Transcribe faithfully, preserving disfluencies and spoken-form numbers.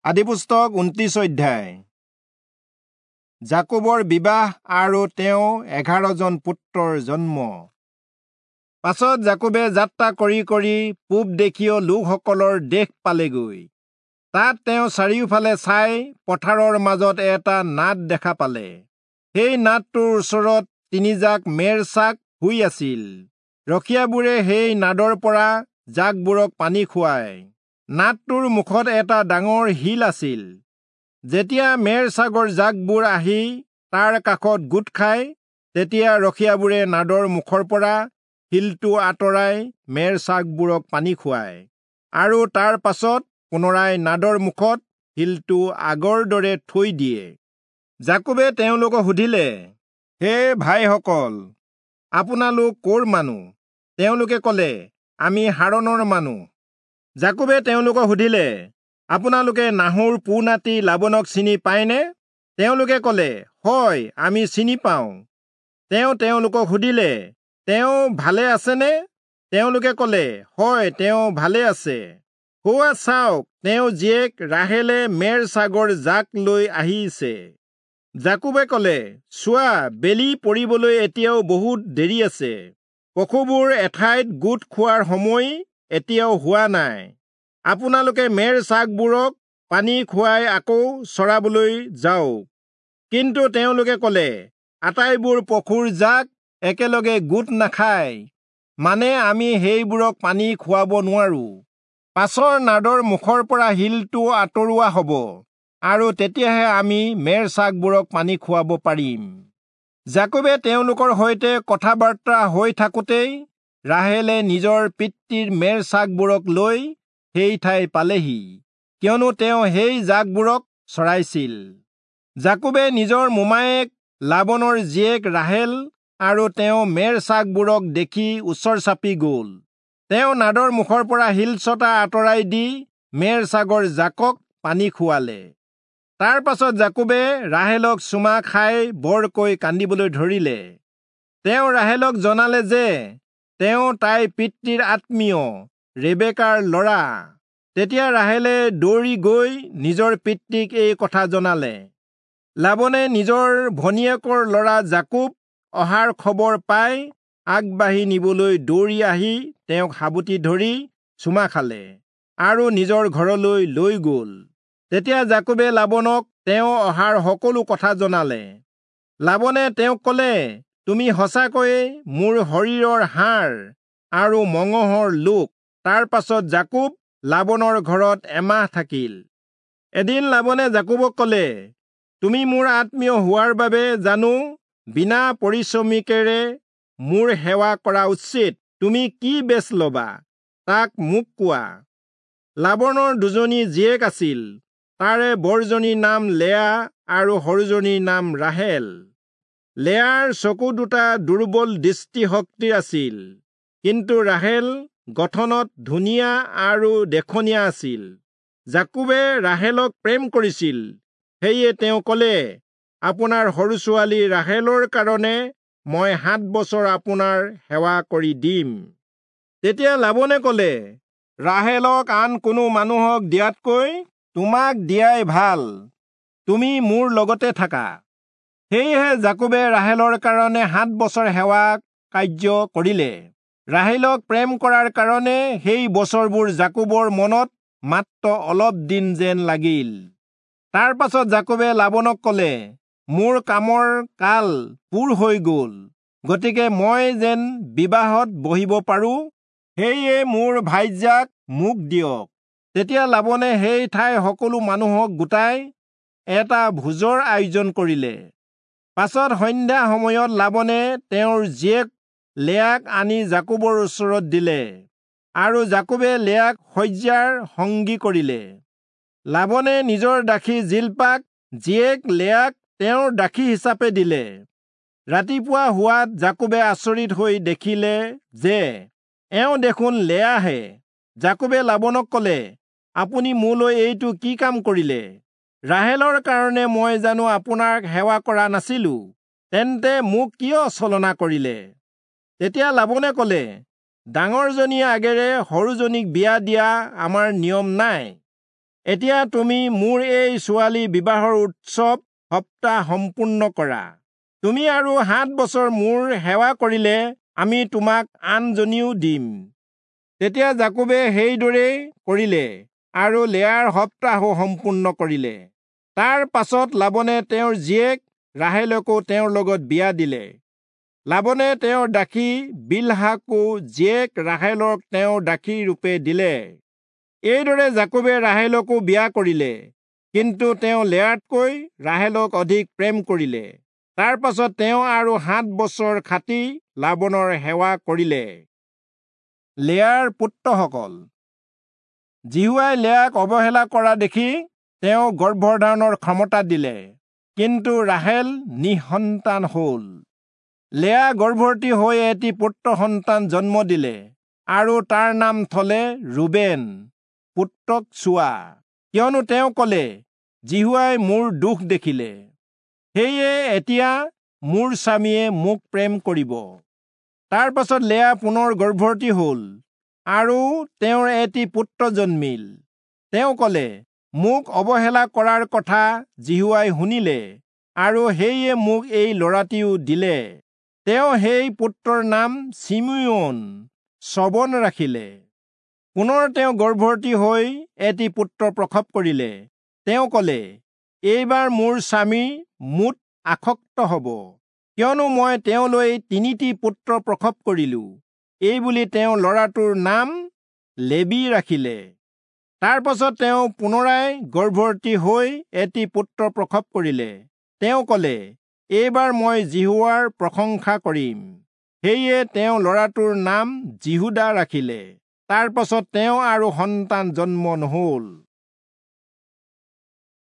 আদিপুস্তক ঊনত্ৰিশ অধ্যায়। যাকোবৰ বিবাহ আৰু তেওঁ এঘাৰজন পুত্ৰৰ জন্ম। পাছত যাকোবে যাত্ৰা কৰি কৰি পূব দেশীয় লোকসকলৰ দেশ পালেগৈ। তাত তেওঁ চাৰিওফালে চাই পথাৰৰ মাজত এটা নাদ দেখা পালে। সেই নাদটোৰ ওচৰত তিনিজাক মেৰ চাক শুই আছিল। ৰখীয়াবোৰে সেই নাদৰ পৰা জাকবোৰক পানী খুৱায়। নাদটোৰ মুখত এটা ডাঙৰ শিল আছিল। যেতিয়া মেৰ ছাগৰ জাকবোৰ আহি তাৰ কাষত গোট খায়, তেতিয়া ৰখীয়াবোৰে নাদৰ মুখৰ পৰা শিলটো আঁতৰাই মেৰ ছাগবোৰক পানী খুৱায় আৰু তাৰ পাছত পুনৰাই নাদৰ মুখত শিলটো আগৰ দৰে থৈ দিয়ে। যাকোবে তেওঁলোকক সুধিলে, হে ভাইসকল, আপোনালোক ক'ৰ মানুহ? তেওঁলোকে ক'লে, আমি হাৰণৰ মানুহ। যাকোবে তেওঁলোকক সুধিলে, আপোনালোকে নাহোৰ পো-নাতি লাবনক চিনি পায়নে? তেওঁলোকে ক'লে, হয়, আমি চিনি পাওঁ। তেওঁ তেওঁলোকক সুধিলে, তেওঁ ভালে আছেনে? তেওঁলোকে ক'লে, হয়, তেওঁ ভালে আছে। সৌৱা চাওক, তেওঁ জীয়েক ৰাহেলে মেৰ ছাগৰ জাক লৈ আহিছে। যাকোবে ক'লে, চোৱা, বেলি পৰিবলৈ এতিয়াও বহুত দেৰি আছে। পশুবোৰ এঠাইত গোট খোৱাৰ সময় এতিয়াও হোৱা নাই। আপোনালোকে মেৰ ছাগবোৰক পানী খুৱাই আকৌ চৰাবলৈ যাওক। কিন্তু তেওঁলোকে ক'লে, আটাইবোৰ পশুৰ জাক একেলগে গোট নাখায়, মানে আমি সেইবোৰক পানী খুৱাব নোৱাৰো। পাছৰ নাদৰ মুখৰ পৰা শিলটো আঁতৰোৱা হ'ব আৰু তেতিয়াহে আমি মেৰ ছাগবোৰক পানী খুৱাব পাৰিম। যাকোবে তেওঁলোকৰ সৈতে কথা বাৰ্তা হৈ থাকোঁতেই ৰাহেলে নিজৰ পিতৃৰ মেৰ ছাগবোৰক লৈ সেই ঠাই পালেহি, কিয়নো তেওঁ সেই জাকবোৰক চৰাইছিল। যাকোবে নিজৰ মোমায়েক লাবনৰ জীয়েক ৰাহেল আৰু তেওঁ মেৰ ছাগবোৰক দেখি ওচৰ চাপি গ'ল। তেওঁ নাদৰ মুখৰ পৰা শিলচটা আঁতৰাই দি মেৰ ছাগৰ জাকক পানী খুৱালে। তাৰ পাছত যাকোবে ৰাহেলক চুমা খাই বৰকৈ কান্দিবলৈ ধৰিলে। তেওঁ ৰাহেলক জনালে যে তেওঁ তাইৰ পিতৃৰ আত্মীয় ৰেবেকাৰ ল'ৰা। তেতিয়া ৰাহেলে দৌৰি গৈ নিজৰ পিতৃক এই কথা জনালে। লাবনে নিজৰ ভনীয়েকৰ ল'ৰা যাকোব অহাৰ খবৰ পাই আগবাঢ়ি নিবলৈ দৌৰি আহি তেওঁক সাৱটি ধৰি চুমা খালে আৰু নিজৰ ঘৰলৈ লৈ গ'ল। তেতিয়া যাকোবে লাবনক তেওঁ অহাৰ সকলো কথা জনালে। লাবনে তেওঁক ক'লে, তুমি সঁচাকৈয়ে মোৰ শৰীৰৰ হাড় আৰু মঙহৰ লোক। তাৰ পাছত যাকোব লাবনৰ ঘৰত এমাহ থাকিল। এদিন লাবনে যাকোবক ক'লে, তুমি মোৰ আত্মীয় হোৱাৰ বাবে জানো বিনা পৰিশ্ৰমিকেৰে মোৰ সেৱা কৰা উচিত? তুমি কি বেচ ল'বা তাক মোক কোৱা। লাবনৰ দুজনী জীয়েক আছিল। তাৰে বৰজনীৰ নাম লেয়া আৰু সৰুজনীৰ নাম ৰাহেল। লেয়াৰ চকু দুটা দুৰ্বল দৃষ্টিশক্তিৰ আছিল, কিন্তু ৰাহেল গঠনত ধুনীয়া আৰু দেখনীয়া আছিল। যাকোবে ৰাহেলক প্ৰেম কৰিছিল, সেয়ে তেওঁ ক'লে, আপোনাৰ সৰু ছোৱালী ৰাহেলৰ কাৰণে মই সাত বছৰ আপোনাৰ সেৱা কৰি দিম। তেতিয়া লাবনে ক'লে, ৰাহেলক আন কোনো মানুহক দিয়াতকৈ তোমাক দিয়াই ভাল, তুমি মোৰ লগতে থাকা। সেয়েহে যাকোবে ৰাহেলৰ কাৰণে সাত বছৰ সেৱা কাৰ্য কৰিলে। ৰাহেলক প্ৰেম কৰাৰ কাৰণে সেই বছৰবোৰ যাকোবৰ মনত মাত্ৰ অলপ দিন যেন লাগিল। তাৰ পাছত যাকোবে লাবনক ক'লে, মোৰ কামৰ কাল পূৰ হৈ গ'ল, গতিকে মই যেন বিবাহত বহিব পাৰোঁ, সেয়ে মোৰ ভাইজাক মোক দিয়ক। তেতিয়া লাবনে সেই ঠাইৰ সকলো মানুহক গোটাই এটা ভোজৰ আয়োজন কৰিলে। পাছত সন্ধ্যা সময়ত লাবনে তেওঁৰ জীয়েক লেয়াক আনি যাকোবৰ ওচৰত দিলে আৰু যাকোবে লেয়াক শয্যাৰ সংগী কৰিলে। লাবনে নিজৰ দাসী জিল্পাক জীয়েক লেয়াক তেওঁৰ দাসী হিচাপে দিলে। ৰাতিপুৱা হোৱাত যাকোবে আচৰিত হৈ দেখিলে যে এওঁ দেখোন লেয়াহে। যাকোবে লাবনক ক'লে, আপুনি মোলৈ এইটো কি কাম কৰিলে? ৰাহেলৰ কাৰণে মই জানো আপোনাক সেৱা কৰা নাছিলো? তেন্তে মোক কিয় ছলনা কৰিলে? তেতিয়া লাবনে ক'লে, ডাঙৰজনীৰ আগেৰে সৰুজনীক বিয়া দিয়া আমাৰ নিয়ম নাই। এতিয়া তুমি মোৰ এই ছোৱালী বিবাহৰ উৎসৱ সপ্তাহ সম্পূৰ্ণ কৰা। তুমি আৰু সাত বছৰ মোৰ সেৱা কৰিলে আমি তোমাক আনজনীও দিম। তেতিয়া যাকোবে সেইদৰেই কৰিলে আৰু লেয়াৰ সপ্তাহো সম্পূৰ্ণ কৰিলে। তাৰ পাছত লাবনে তেওঁৰ জীয়েক ৰাহেলকো তেওঁৰ লগত বিয়া দিলে। লাবনে তেওঁৰ দাসী বিলহাকো জীয়েক ৰাহেলক তেওঁৰ দাসী ৰূপে দিলে। এইদৰে যাকোবে ৰাহেলকো বিয়া কৰিলে, কিন্তু তেওঁ লেয়াতকৈ ৰাহেলক অধিক প্ৰেম কৰিলে। তাৰ পাছত তেওঁ আৰু সাত বছৰ খাটি লাবনৰ সেৱা কৰিলে। লেয়াৰ পুত্ৰসকল। যিহোৱাই লেয়াক অৱহেলা কৰা দেখি তেওঁ গৰ্ভধাৰণৰ ক্ষমতা দিলে, কিন্তু ৰাহেল নিঃসন্তান হ'ল। লেয়া গৰ্ভৱতী হৈ এটি পুত্ৰ সন্তান জন্ম দিলে আৰু তাৰ নাম থলে ৰুবেন, পুত্ৰক চোৱা, কিয়নো তেওঁ ক'লে, যিহোৱাই মোৰ দুখ দেখিলে, সেয়ে এতিয়া মোৰ স্বামীয়ে মোক প্ৰেম কৰিব। তাৰ পাছত লেয়া পুনৰ গৰ্ভৱতী হ'ল আৰু তেওঁৰ এটি পুত্ৰ জন্মিল। তেওঁ ক'লে, মোক অৱহেলা কৰাৰ কথা যিহোৱাই শুনিলে আৰু সেয়ে মোক এই ল'ৰাটিও দিলে। তেওঁ সেই পুত্ৰৰ নাম চিমিয়োন, শ্ৰৱণ ৰাখিলে। পুনৰ তেওঁ গৰ্ভৱতী হৈ এটি পুত্ৰ প্ৰসৱ কৰিলে। তেওঁ ক'লে, এইবাৰ মোৰ স্বামী মোত আসক্ত হ'ব, কিয়নো মই তেওঁলৈ তিনিটি পুত্ৰ প্ৰসৱ কৰিলো। এইবুলি তেওঁ ল'ৰাটোৰ নাম লেবী ৰাখিলে। তাৰ পাছত তেওঁ পুনৰাই গৰ্ভৱতী হৈ এটি পুত্ৰ প্ৰসৱ কৰিলে। তেওঁ ক'লে, এইবাৰ মই যিহোৱাৰ প্ৰশংসা কৰিম। সেয়ে তেওঁ ল'ৰাটোৰ নাম যিহূদা ৰাখিলে। তাৰ পাছত তেওঁ আৰু সন্তান জন্ম নহ'ল।